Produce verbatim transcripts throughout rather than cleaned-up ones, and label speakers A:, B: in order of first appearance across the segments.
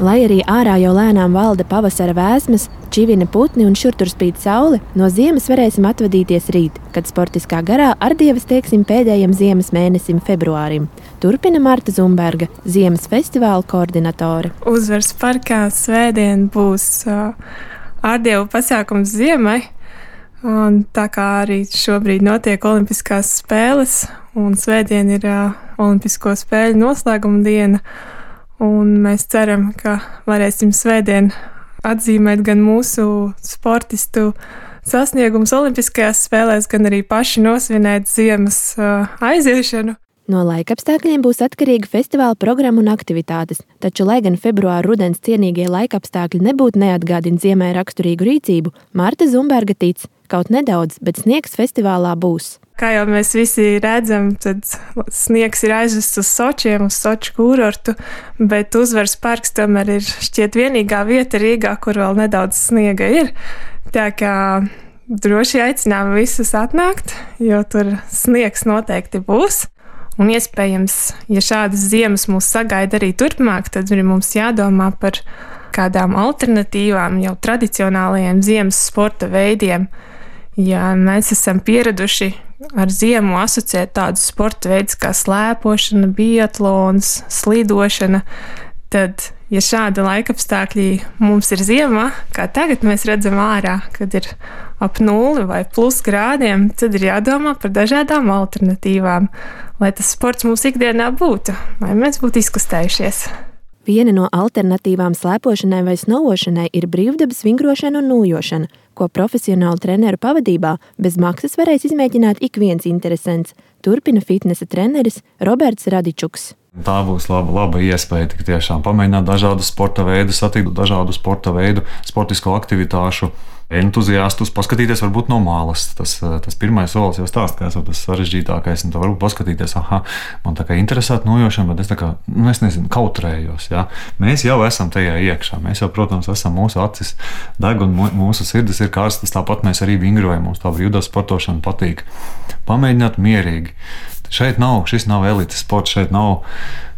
A: Lai arī ārā jau lēnām valda pavasara vēsmas, čivina putni un šur tur spīd saule, no ziemas varēsim atvadīties rīt, kad sportiskā garā ar dievas teiksim pēdējam ziemas mēnesim februārim. Turpina Marta Zumberga, ziemas festivāla koordinatore.
B: Uzvaras parkā svētdien būs uh, ārdievu pasākums ziemai. Un tā kā arī šobrīd notiek olimpiskās spēles, un svētdien ir uh, olimpisko spēļu noslēguma diena, un mēs ceram, ka varēsim svētdien atzīmēt gan mūsu sportistu sasniegumus olimpiskajās spēlēs, gan arī paši nosvinēt ziemas uh, aiziešanu.
A: No laikapstākļiem būs atkarīga festivāla programma un aktivitātes, taču, lai gan februāra rudens cienīgie laikapstākļi nebūtu neatgādina ziemai raksturīgu rīcību, Marta Zumberga tic, kaut nedaudz, bet sniegs festivālā būs.
B: Kā jau mēs visi redzam, tad sniegs ir aizvests uz Sočiem, uz Soču kūrortu, bet Uzvaras parks tomēr ir šķiet vienīgā vieta Rīgā, kur vēl nedaudz sniega ir. Tā kā droši aicinām visus atnākt, jo tur sniegs noteikti būs. Un iespējams, ja šādas ziemas mūs sagaida arī turpmāk, tad arī mums jādomā par kādām alternatīvām jau tradicionālajiem ziemas sporta veidiem. Ja mēs esam pieraduši ar ziemu asociēt tādus sporta veidus kā slēpošana, biatlons, slidošana, tad, ja šāda laikapstākļi mums ir ziemā, kā tagad mēs redzam ārā, kad ir ap nulli vai plus grādiem, tad ir jādomā par dažādām alternatīvām, lai tas sports mūsu ikdienā būtu, lai mēs būtu izkustējušies.
A: Viena no alternatīvām slēpošanai vai snovošanai ir brīvdabas vingrošana un nūjošana, ko profesionālu treneru pavadībā bez maksas varēs izmēģināt ik viens interesents, turpina fitnesa treneris Roberts Radičuks.
C: Tā būs laba, laba iespēja tik tiešām pamēģināt dažādus sporta veidus, satikt dažādu sporta veidu, sportisko aktivitāšu entuziastus, paskatīties varbūt no malas. Tas, tas pirmais solis jau stāst, ka esmu tas sarežģītākais, un tā varbūt paskatīties, aha, man tā kā interesētu nojošana, bet es tā kā, nu es nezinu, kautrējos, jā. Mēs jau esam tajā iekšā, mēs jau, protams, esam mūsu acis deg un mūsu sirdis ir karstas, tāpat mēs arī vingrojam, mums tā brīvdabas sportošana patīk. Pamēģināt mierīgi. Šeit nav, šis nav elites sports, šeit nav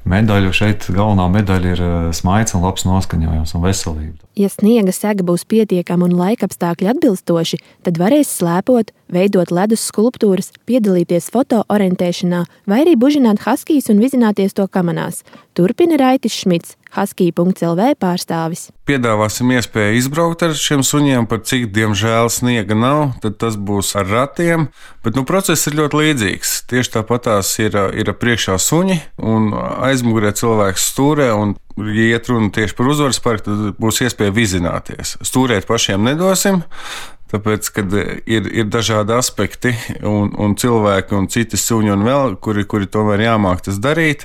C: medaļu, šeit galvenā medaļa ir smaids un labs noskaņojums un veselība.
A: Ja sniega sega būs pietiekama un laikapstākļi atbilstoši, tad varēs slēpot, veidot ledus skulptūras, piedalīties foto orientēšanā vai arī bužināt haskijus un vizināties to kamanās. Turpina Raitis Šmits, haskija punkts el vē pārstāvis.
D: Piedāvāsim iespēju izbraukt ar šiem suņiem, par cik diemžēl sniega nav, tad tas būs ar ratiem, bet nu, process ir ļoti līdzīgs. Tieši tāpatās ir, ir priekšā suņi un aizmugurē cilvēks stūrē, un ja iet runa tieši par Uzvaras parku, tad būs iespēja vizināties. Stūrēt pašiem nedosim, tāpēc, kad ir, ir dažādi aspekti un, un cilvēki un citi suņi un vēl, kuri, kuri tomēr jāmāk tas darīt,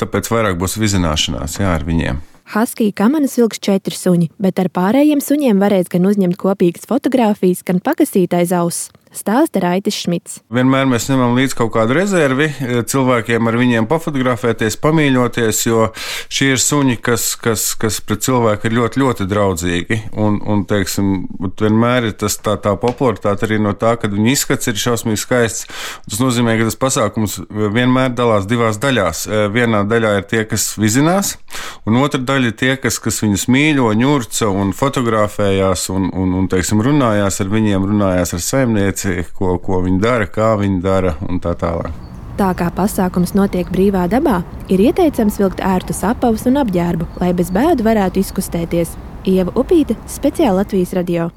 D: tāpēc vairāk būs vizināšanās jā, ar viņiem.
A: Haskija kamanas vilks četri suņi, bet ar pārējiem suņiem varēs gan uzņemt kopīgas fotogrāfijas, gan pakasīt aiz auss. Stāsta Raitis Šmits.
D: Vienmēr mēs ņemam līdz kaut kādu rezervi cilvēkiem, ar viņiem pafotografēties, pamīļoties, jo šie ir suņi, kas, kas, kas pret cilvēku ir ļoti, ļoti draudzīgi. Un, un teiksim, vienmēr ir tas tā, tā popularitāte arī no tā, kad viņa izskats ir šausmīgi skaists. Tas nozīmē, ka tas pasākums vienmēr dalās divās daļās. Vienā daļā ir tie, kas vizinās, un otra daļa ir tie, kas, kas viņus mīļo, ņurca un fotografējās un, un, un teiksim, runājās ar viņiem, runājās ar saimnieci. Ko, ko viņi dara, kā viņi dara un tā tālāk.
A: Tā kā pasākums notiek brīvā dabā, ir ieteicams vilkt ērtus apavus un apģērbu, lai bez bēdu varētu izkustēties. Ieva Upīte, speciāli Latvijas radio.